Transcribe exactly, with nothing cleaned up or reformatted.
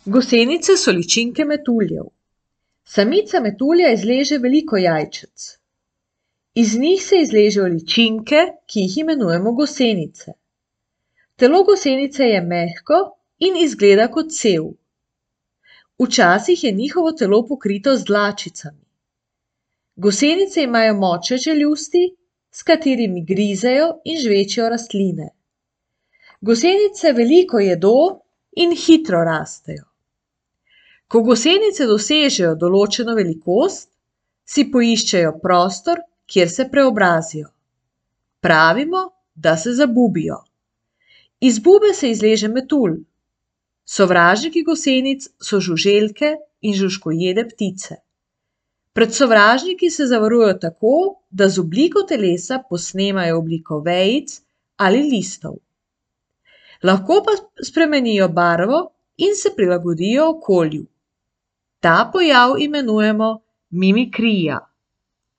Gosenice so ličinke metuljev. Samica metulja izleže veliko jajčec. Iz njih se izležejo ličinke, ki jih imenujemo gosenice. Telo gosenice je mehko in izgleda kot cev. Včasih je njihovo telo pokrito z dlačicami. Gosenice imajo močne čeljusti, s katerimi grizejo in žvečijo rastline. Gosenice veliko jedo in hitro rastejo. Ko gosenice dosežejo določeno velikost, si poiščejo prostor, kjer se preobrazijo. Pravimo, da se zabubijo. Iz bube se izleže metulj. Sovražniki gosenic so žuželke in žužhkojede ptice. Pred sovražniki se zavarujejo tako, da z obliko telesa posnemajo obliko vejic ali listov. Lahko pa spremenijo barvo in se prilagodijo okolju. Ta pojav imenujemo mimikrija.